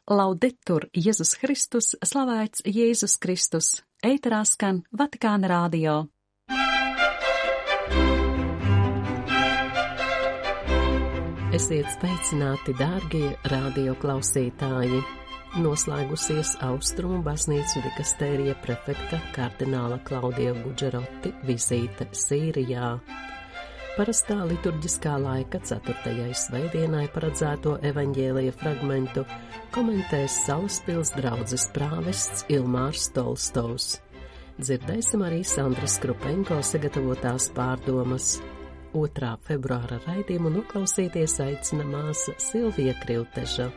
Laudetur Jēzus Kristus, slavēts Jēzus Kristus, ēterā skan Vatikāna radio. Esiet sveicināti, dārgie radio klausītāji! Noslēgusies Austrumu baznīcu dikastērija prefekta kardināla Klaudija Guģeroti vizīte Sīrijā. Parastā liturģiskā laika 4. svētdienai paredzēto evaņģēlija fragmentu komentēs Salaspils draudzes prāvests Ilmārs Tolstovs. Dzirdēsim arī Sandras Krupenko sagatavotās pārdomas. 2. februāra raidījumu noklausīties aicina māsa Silvija Krilteža.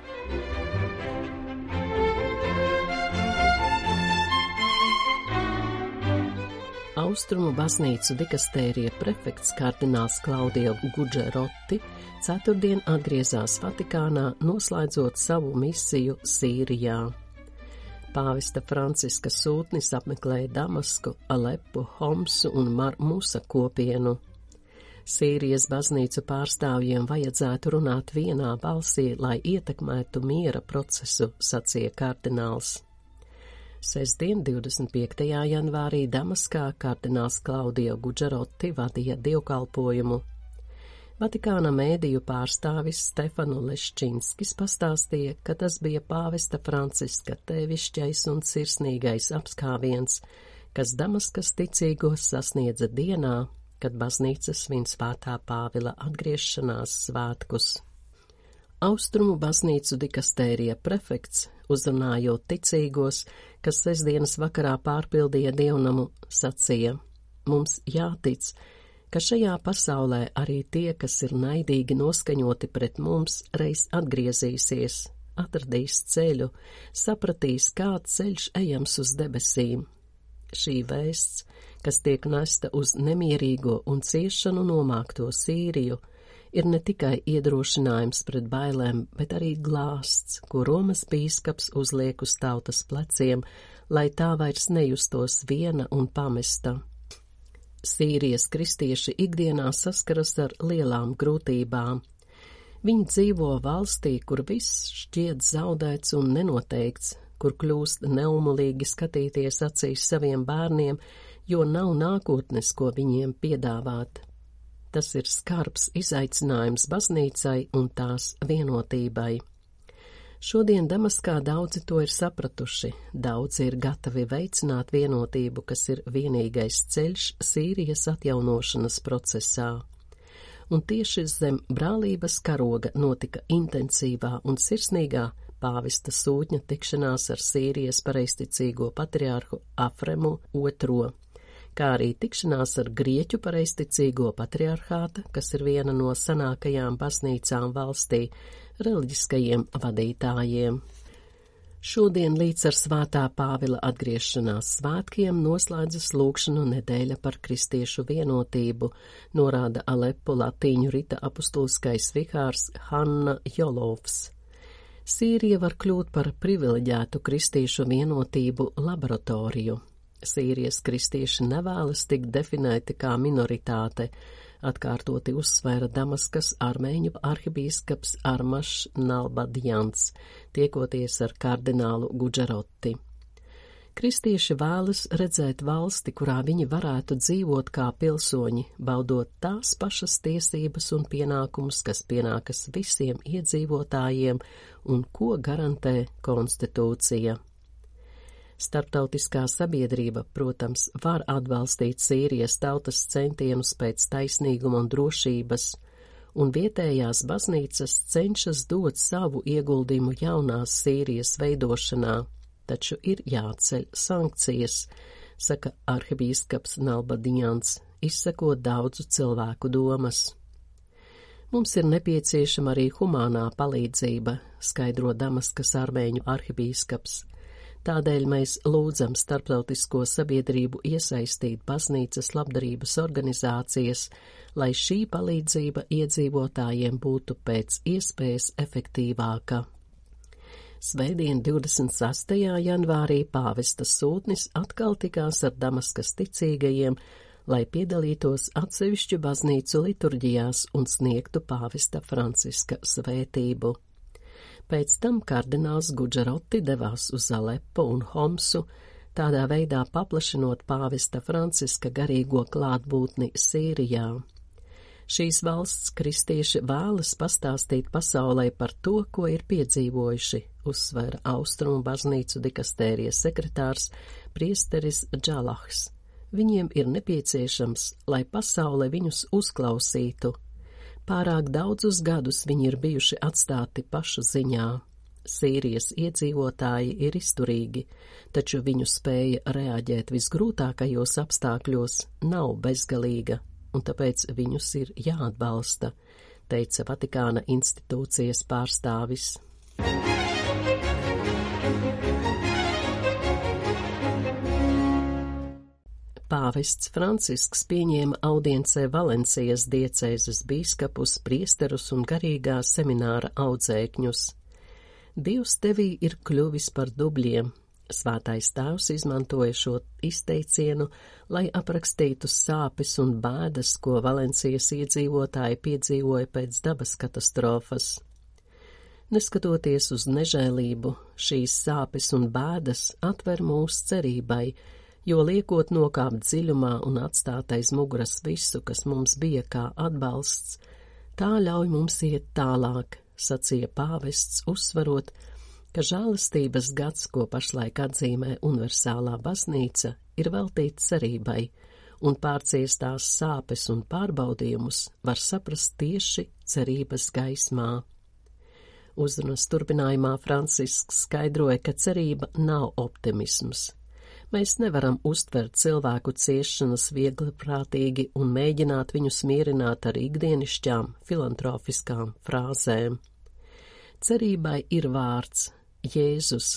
Austrumu baznīcu dikastērija prefekts kardināls Klaudija Guģeroti ceturtdien atgriezās Vatikānā, noslēdzot savu misiju Sīrijā. Pāvesta Franciska sūtnis apmeklēja Damasku, Alepu, Homsu un Musa kopienu. Sīrijas baznīcu pārstāvjiem vajadzētu runāt vienā balsī, lai ietekmētu miera procesu, sacīja kardināls. Sestdien, 25. janvārī Damaskā kardināls Klaudija Guģeroti vadīja dievkalpojumu. Vatikāna mēdīju pārstāvis Stefanu Leščinskis pastāstīja, ka tas bija pāvesta Franciska tēvišķais un sirsnīgais apskāviens, kas Damaskas ticīgos sasniedza dienā, kad baznīca svin Svētā Pāvila atgriešanās svētkus. Austrumu baznīcu dikastērija prefekts, uzrunājot ticīgos, kas sestdienas vakarā pārpildīja dievnamu, sacīja: mums jātic, ka šajā pasaulē arī tie, kas ir naidīgi noskaņoti pret mums, reiz atgriezīsies, atradīs ceļu, sapratīs, kāds ceļš ejams uz debesīm. Šī vēsts, kas tiek nesta uz nemierīgo un ciešanu nomākto Sīriju, ir ne tikai iedrošinājums pret bailēm, bet arī glāsts, ko Romas bīskaps uzliek uz tautas pleciem, lai tā vairs nejustos viena un pamesta. Sīrijas kristieši ikdienā saskaras ar lielām grūtībām. Viņi dzīvo valstī, kur viss šķiet zaudēts un nenoteikts, kur kļūst neumulīgi skatīties acīs saviem bērniem, jo nav nākotnes, ko viņiem piedāvāt. Tas ir skarbs izaicinājums baznīcai un tās vienotībai. Šodien Damaskā daudzi to ir sapratuši, daudzi ir gatavi veicināt vienotību, kas ir vienīgais ceļš Sīrijas atjaunošanas procesā. Un tieši zem brālības karoga notika intensīvā un sirsnīgā pāvesta sūtņa tikšanās ar Sīrijas pareizticīgo patriārhu Afremu II, kā arī tikšanās ar Grieķu pareizticīgo patriarhāta, kas ir viena no senākajām baznīcām valstī, reliģiskajiem vadītājiem. Šodien līdz ar Svētā Pāvila atgriešanās svētkiem noslēdzas lūgšanu nedēļa par kristiešu vienotību, norāda Alepu latīņu rita apustuliskais vikārs Hanna Jolovs. Sīrija var kļūt par privileģētu kristiešu vienotību laboratoriju. Sīrijas kristieši nevēlas tikt definēti kā minoritāte, atkārtoti uzsvēra Damaskas armēņu arhibīskaps Armašs Nalbadjans, tiekoties ar kardinālu Guģeroti. Kristieši vēlas redzēt valsti, kurā viņi varētu dzīvot kā pilsoņi, baudot tās pašas tiesības un pienākumus, kas pienākas visiem iedzīvotājiem un ko garantē konstitūcija. Starptautiskā sabiedrība, protams, var atbalstīt Sīrijas tautas centienus pēc taisnīguma un drošības, un vietējās baznīcas cenšas dot savu ieguldījumu jaunās Sīrijas veidošanā, taču ir jāceļ sankcijas, saka arhibīskaps Nalbadjans, izsakot daudzu cilvēku domas. Mums ir nepieciešama arī humānā palīdzība, skaidro Damaskas armēņu arhibīskaps. Tādēļ mēs lūdzam starptautisko sabiedrību iesaistīt baznīcas labdarības organizācijas, lai šī palīdzība iedzīvotājiem būtu pēc iespējas efektīvāka. Svētdien 26. janvārī pāvesta sūtnis atkal tikās ar Damaskas ticīgajiem, lai piedalītos atsevišķu baznīcu liturģijās un sniegtu pāvesta Franciska svētību. Pēc tam kardināls Guģeroti devās uz Alepo un Homsu, tādā veidā paplašinot pāvesta Franciska garīgo klātbūtni Sīrijā. Šīs valsts kristieši vēlas pastāstīt pasaulē par to, ko ir piedzīvojuši, uzsvēra Austrumu baznīcu dikastērijas sekretārs priesteris Džalahs. Viņiem ir nepieciešams, lai pasaule viņus uzklausītu. Pārāk daudzus gadus viņi ir bijuši atstāti pašu ziņā. Sīrijas iedzīvotāji ir izturīgi, taču viņu spēja reaģēt visgrūtākajos apstākļos nav bezgalīga, un tāpēc viņus ir jāatbalsta, teica Vatikāna institūcijas pārstāvis. Pāvests Francisks pieņēma audiencē Valencijas diecēzes bīskapus, priesterus un garīgā semināra audzēkņus. Dievs tevī ir kļuvis par dubļiem. Svētais tēvs izmantoja šo izteicienu, lai aprakstītu sāpes un bēdas, ko Valencijas iedzīvotāji piedzīvoja pēc dabas katastrofas. Neskatoties uz nežēlību, šīs sāpes un bēdas atver mūs cerībai, jo liekot nokāpt dziļumā un atstāt aiz muguras visu, kas mums bija kā atbalsts, tā ļauj mums iet tālāk, sacīja pāvests, uzsvarot, ka žēlastības gads, ko pašlaik atzīmē universālā baznīca, ir veltīts cerībai, un pārciestās sāpes un pārbaudījumus var saprast tieši cerības gaismā. Uzrunas turpinājumā Francisks skaidroja, ka cerība nav optimisms. Mēs nevaram uztvert cilvēku ciešanas viegliprātīgi un mēģināt viņus mierināt ar ikdienišķām, filantrofiskām frāzēm. Cerībai ir vārds, Jēzus,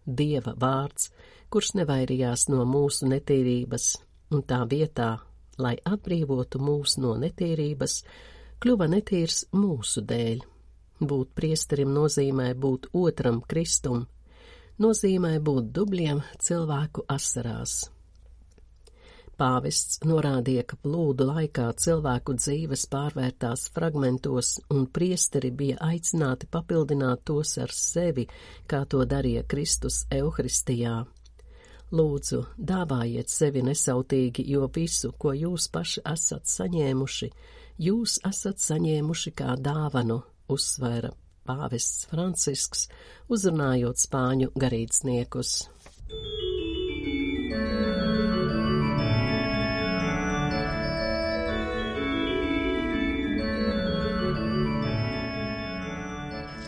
Dieva vārds, kurš nevairījās no mūsu netīrības, un tā vietā, lai atbrīvotu mūs no netīrības, kļuva netīrs mūsu dēļ. Būt priesterim nozīmē būt otram Kristum, nozīmē būt dubļiem cilvēku asarās. Pāvests norādīja, ka plūdu laikā cilvēku dzīves pārvērtās fragmentos, un priesteri bija aicināti papildināt tos ar sevi, kā to darīja Kristus Euharistijā. Lūdzu, dāvājiet sevi nesautīgi, jo visu, ko jūs paši esat saņēmuši, jūs esat saņēmuši kā dāvanu, uzsvēra pāvests Francisks, uzrunājot spāņu garīdzniekus.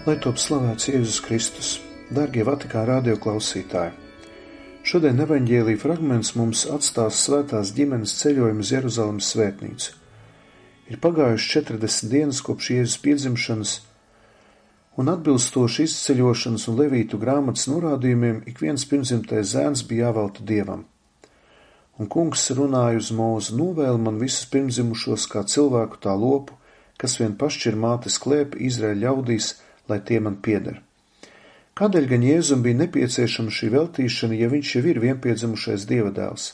Lai top slavēts Jēzus Kristus, dārgie Vatikāna radio klausītāji! Šodien evaņģēlija fragments mums atstās svētās ģimenes ceļojumu uz Jeruzalemes svētnīcu. Ir pagājuši 40 dienas kopš Jēzus piedzimšanas, un atbilstoši izceļošanas un levītu grāmatas norādījumiem ik viens pirmzimtais zēns bija jāvelta Dievam. Un kungs runāja uz Mūzu: novēl man visus pirmzimušos kā cilvēku tā lopu, kas vien pašķir mātes klēpi Izraēļa ļaudīs, lai tie man pieder. Kādēļ gan Jēzum bija nepieciešama šī veltīšana, ja viņš jau ir vienpiedzimušais Dieva dēls?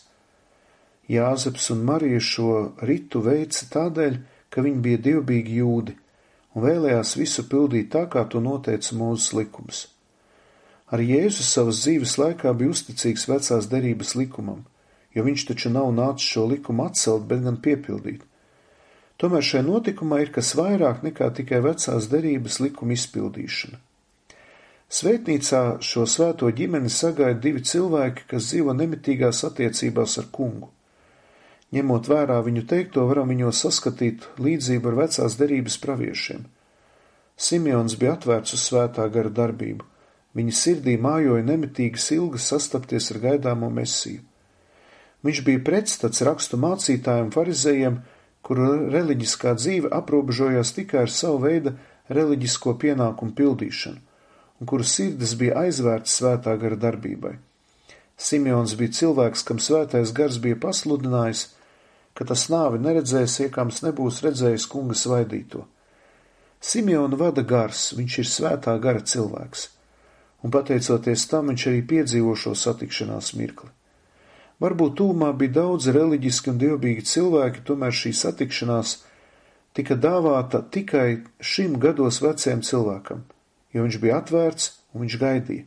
Jāzeps un Marija šo ritu veica tādēļ, ka viņi bija dievbīgi jūdi un vēlējās visu pildīt tā, kā to noteica Mūzes likums. Arī Jēzus savas dzīves laikā bija uzticīgs vecās derības likumam, jo viņš taču nav nācis šo likumu atcelt, bet gan piepildīt. Tomēr šai notikumā ir kas vairāk nekā tikai vecās derības likuma izpildīšana. Svētnīcā šo svēto ģimeni sagaida divi cilvēki, kas dzīvo nemitīgās attiecībās ar kungu. Ņemot vērā viņu teikto, varam viņos saskatīt līdzību ar vecās derības praviešiem. Simeons bija atvērts uz svētā gara darbību. Viņa sirdī mājoja nemitīgas ilgas sastapties ar gaidāmo Mesiju. Viņš bija pretstats rakstu mācītājiem farizejiem, kuru reliģiskā dzīve aprobežojās tikai ar savu veidu reliģisko pienākumu pildīšanu, un kuru sirdis bija aizvērts svētā gara darbībai. Simeons bija cilvēks, kam svētais gars bija pasludinājis, ka tas nāvi neredzēs, iekams nebūs redzējis kunga svaidīto. Simeonu vada gars, viņš ir svētā gara cilvēks, un pateicoties tam viņš arī piedzīvo šo satikšanās mirkli. Varbūt tūmā bija daudz reliģiski un dievbīgi cilvēki, tomēr šī satikšanās tika dāvāta tikai šim gados vecajam cilvēkam, jo viņš bija atvērts un viņš gaidīja.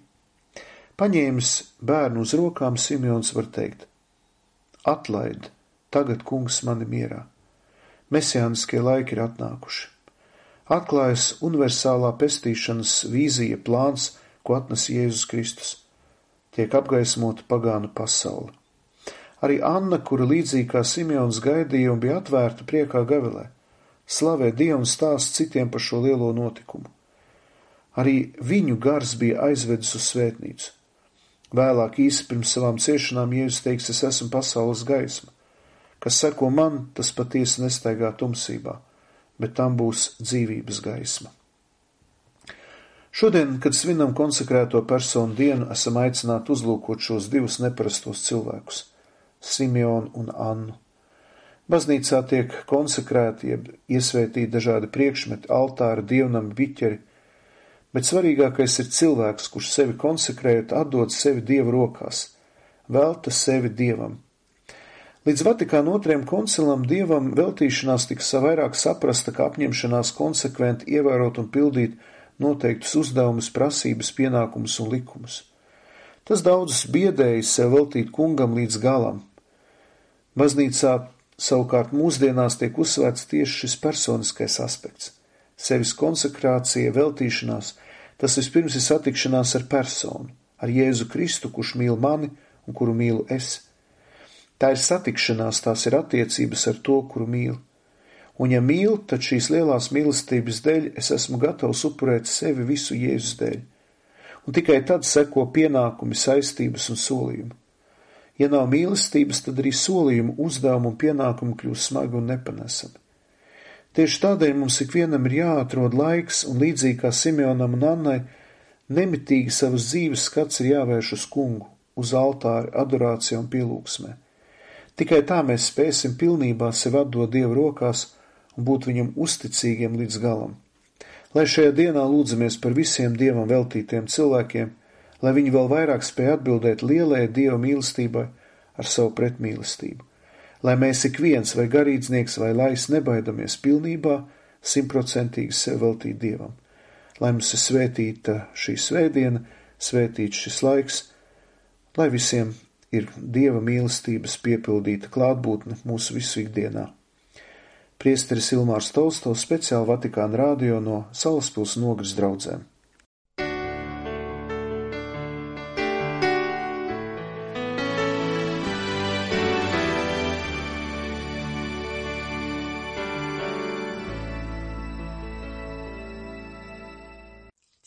Paņēmis bērnu uz rokām, Simeons var teikt: Atlaid, tagad, kungs, mani mierā. Mesijāniskie laiki ir atnākuši. Atklājas universālā pestīšanas vīzija, plāns, ko atnes Jēzus Kristus. Tiek apgaismota pagānu pasaule. Arī Anna, kura līdzīgi kā Simeons gaidīja un bija atvērta priekā gavilē, slavē Dievu un stāst citiem par šo lielo notikumu. Arī viņu gars bija aizvedis uz svētnīcu. Vēlāk īsi pirms savām ciešanām Jēzus teiks: es esmu pasaules gaisma. Kas seko man, tas patiesi nestaigā tumsībā, bet tam būs dzīvības gaisma. Šodien, kad svinam konsekrēto personu dienu, esam aicināti uzlūkot šos divus neparastos cilvēkus – Simeonu un Annu. Baznīcā tiek konsekrēti, jeb iesvētīti dažādi priekšmeti, altāri, dievnami, biķeri, bet svarīgākais ir cilvēks, kurš sevi konsekrējot, atdod sevi Dieva rokās, velta sevi Dievam. Līdz Vatikāna otrajam koncilam Dievam veltīšanās tika vairāk saprasta kā apņemšanās konsekventi ievērot un pildīt noteiktus uzdevumus, prasības, pienākumus un likumus. Tas daudzus biedēja sev veltīt kungam līdz galam. Baznīcā savukārt mūsdienās tiek uzsvērts tieši šis personiskais aspekts. Sevis konsekrācija, veltīšanās, tas vispirms ir satikšanās ar personu, ar Jēzu Kristu, kurš mīl mani un kuru mīlu es. Tā ir satikšanās, tās ir attiecības ar to, kuru mīlu. Un ja mīlu, tad šīs lielās mīlestības dēļ es esmu gatavs upurēt sevi visu Jēzus dēļ. Un tikai tad seko pienākumi, saistības un solījumi. Ja nav mīlestības, tad arī solījumu, uzdevumu un pienākumu kļūst smagi un nepanesami. Tieši tādēļ mums ikvienam ir jāatrod laiks, un līdzīgi kā Simeonam un Annai, nemitīgi savas dzīves skats ir jāvērš uz kungu, uz altāri, adorācijā un pielūgsmē. Tikai tā mēs spēsim pilnībā sevi atdot Dieva rokās un būt viņam uzticīgiem līdz galam. Lai šajā dienā lūdzamies par visiem Dievam veltītiem cilvēkiem, lai viņi vēl vairāk spēj atbildēt lielajai Dieva mīlestībai ar savu pretmīlestību. Lai mēs ik viens, vai garīdznieks, vai lais, nebaidamies pilnībā, 100% sev veltīt Dievam. Lai mums ir svētīta šī svētdiena, svētīts šis laiks, lai visiem ir Dieva mīlestības piepildīta klātbūtne mūsu visu ikdienā. Priesteris Ilmārs Tolstovs, speciāli Vatikāna radio no Salaspils Nogres draudzēm.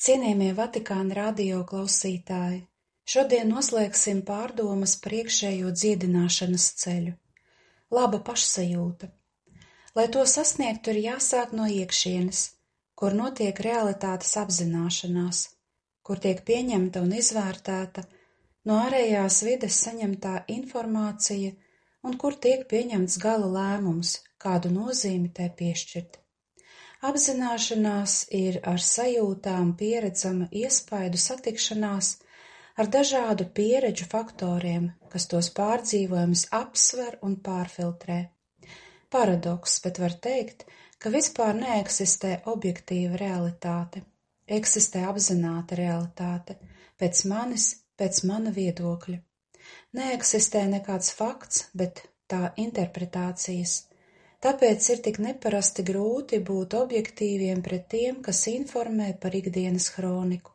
Cienījamie Vatikāna radio klausītāji, šodien noslēgsim pārdomas par iekšējo dziedināšanas ceļu. Laba pašsajūta. Lai to sasniegtu, ir jāsāk no iekšienes, kur notiek realitātes apzināšanās, kur tiek pieņemta un izvērtēta no ārējās vides saņemtā informācija un kur tiek pieņemts gala lēmums, kādu nozīmi tai piešķirt. Apzināšanās ir ar sajūtām pieredzama iespaidu satikšanās ar dažādu pieredžu faktoriem, kas tos pārdzīvojumus apsver un pārfiltrē. Paradoks, bet var teikt, ka vispār neeksistē objektīva realitāte. Eksistē apzināta realitāte, pēc manis, pēc mana viedokļa. Neeksistē nekāds fakts, bet tā interpretācijas. Tāpēc ir tik neparasti grūti būt objektīviem pret tiem, kas informē par ikdienas hroniku.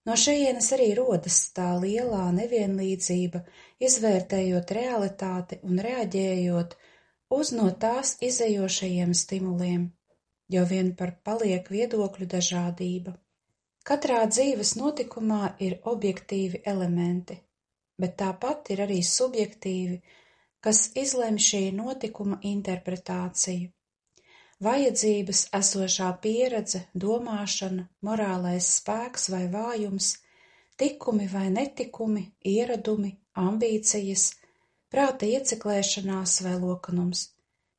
No šejienes arī rodas tā lielā nevienlīdzība, izvērtējot realitāti un reaģējot uz no tās izejošajiem stimuliem, jo vien par paliek viedokļu dažādība. Katrā dzīves notikumā ir objektīvi elementi, bet tāpat ir arī subjektīvi, kas izlemj šī notikuma interpretāciju. Vajadzības, esošā pieredze, domāšana, morālais spēks vai vājums, tikumi vai netikumi, ieradumi, ambīcijas, prāta ieciklēšanās vai lokanums.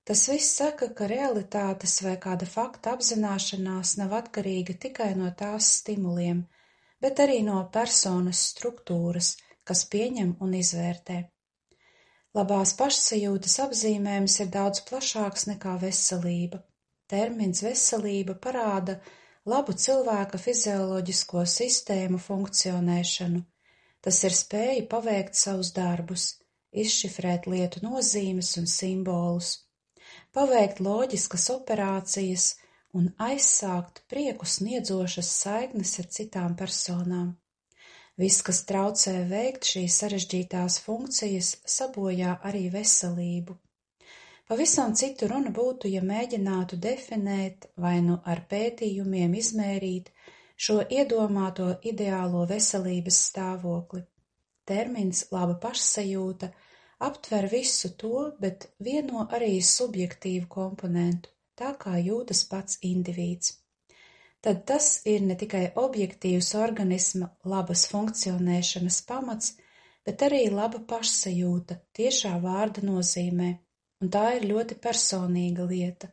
Tas viss saka, ka realitātes vai kāda fakta apzināšanās nav atkarīga tikai no tās stimuliem, bet arī no personas struktūras, kas pieņem un izvērtē. Labās pašsajūtas apzīmējums ir daudz plašāks nekā veselība. Termins veselība parāda labu cilvēka fizioloģisko sistēmu funkcionēšanu. Tas ir spēja paveikt savus darbus, izšifrēt lietu nozīmes un simbolus, paveikt loģiskas operācijas un aizsākt prieku sniedzošas saiknes ar citām personām. Viss, kas traucē veikt šīs sarežģītās funkcijas, sabojā arī veselību. Pavisam citu runa būtu, ja mēģinātu definēt vai nu ar pētījumiem izmērīt šo iedomāto ideālo veselības stāvokli. Termins laba pašsajūta aptver visu to, bet vieno arī subjektīvu komponentu, tā kā jūtas pats indivīds. Tad tas ir ne tikai objektīvs organisma labas funkcionēšanas pamats, bet arī laba pašsajūta tiešā vārda nozīmē, un tā ir ļoti personīga lieta.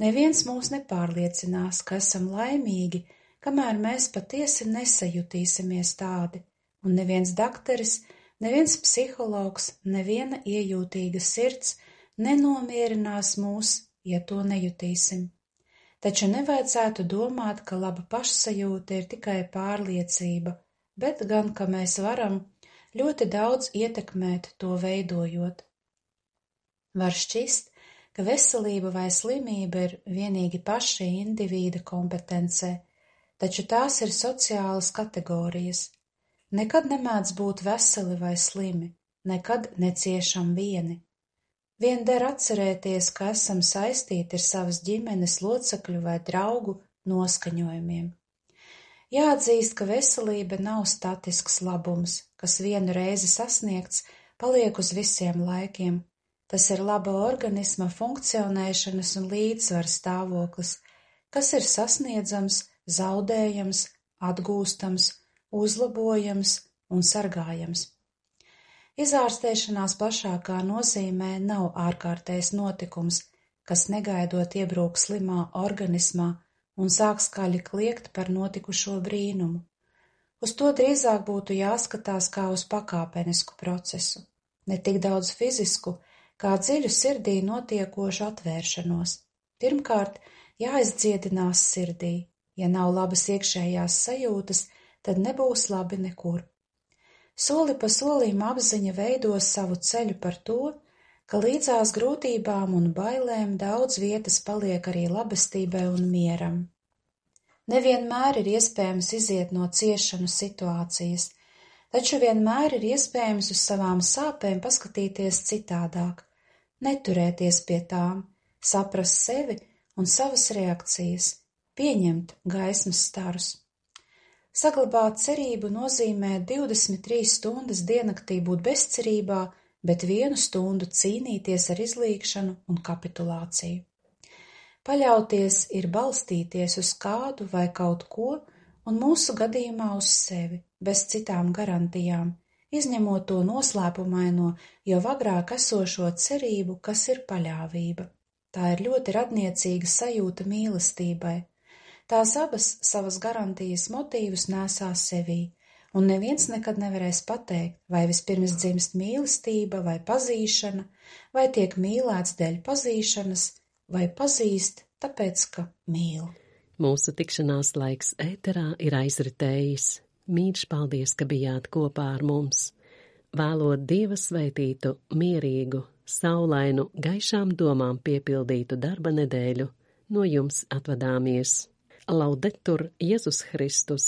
Neviens mūs nepārliecinās, ka esam laimīgi, kamēr mēs patiesi nesajutīsimies tādi, un neviens dakteris, neviens psihologs, neviena iejūtīga sirds nenomierinās mūs, ja to nejutīsim. Taču nevajadzētu domāt, ka laba pašsajūta ir tikai pārliecība, bet gan, ka mēs varam ļoti daudz ietekmēt to veidojot. Var šķist, ka veselība vai slimība ir vienīgi paša indivīda kompetencē, taču tās ir sociālas kategorijas. Nekad nemēdz būt veseli vai slimi, nekad neciešam vieni. Vien der atcerēties, ka esam saistīti ar savas ģimenes locekļu vai draugu noskaņojumiem. Jāatzīst, ka veselība nav statisks labums, kas vienu reizi sasniegts, paliek uz visiem laikiem. Tas ir laba organisma funkcionēšanas un līdzsvara stāvoklis, kas ir sasniedzams, zaudējams, atgūstams, uzlabojams un sargājams. Izārstēšanās plašākā nozīmē nav ārkārtējs notikums, kas negaidot iebrūk slimā organismā un sāk skaļi kliegt par notikušo brīnumu. Uz to drīzāk būtu jāskatās kā uz pakāpenisku procesu, ne tik daudz fizisku, kā dziļu sirdī notiekošu atvēršanos. Pirmkārt, jāizdziedinās sirdī. Ja nav labas iekšējās sajūtas, tad nebūs labi nekur. Soli pa solim apziņa veidos savu ceļu par to, ka līdzās grūtībām un bailēm daudz vietas paliek arī labestībai un mieram. Nevienmēr ir iespējams iziet no ciešanu situācijas, taču vienmēr ir iespējams uz savām sāpēm paskatīties citādāk, neturēties pie tām, saprast sevi un savas reakcijas, pieņemt gaismas starus. Saglabāt cerību nozīmē 23 stundas diennaktī būt bezcerībā, bet 1 stundu cīnīties ar izlīgšanu un kapitulāciju. Paļauties ir balstīties uz kādu vai kaut ko, un mūsu gadījumā uz sevi, bez citām garantijām, izņemot to noslēpumaino, jau agrāk esošo cerību, kas ir paļāvība. Tā ir ļoti radniecīga sajūta mīlestībai. Tās abas savas garantijas motīvus nesās sevī, un neviens nekad nevarēs pateikt, vai vispirms dzimst mīlestība vai pazīšana, vai tiek mīlēts dēļ pazīšanas, vai pazīst, tāpēc, ka mīl. Mūsu tikšanās laiks ēterā ir aizritējis. Mīļš paldies, ka bijāt kopā ar mums. Vēlot Dieva sveitītu, mierīgu, saulainu, gaišām domām piepildītu darba nedēļu, no jums atvadāmies. Laudetur Jēzus Kristus!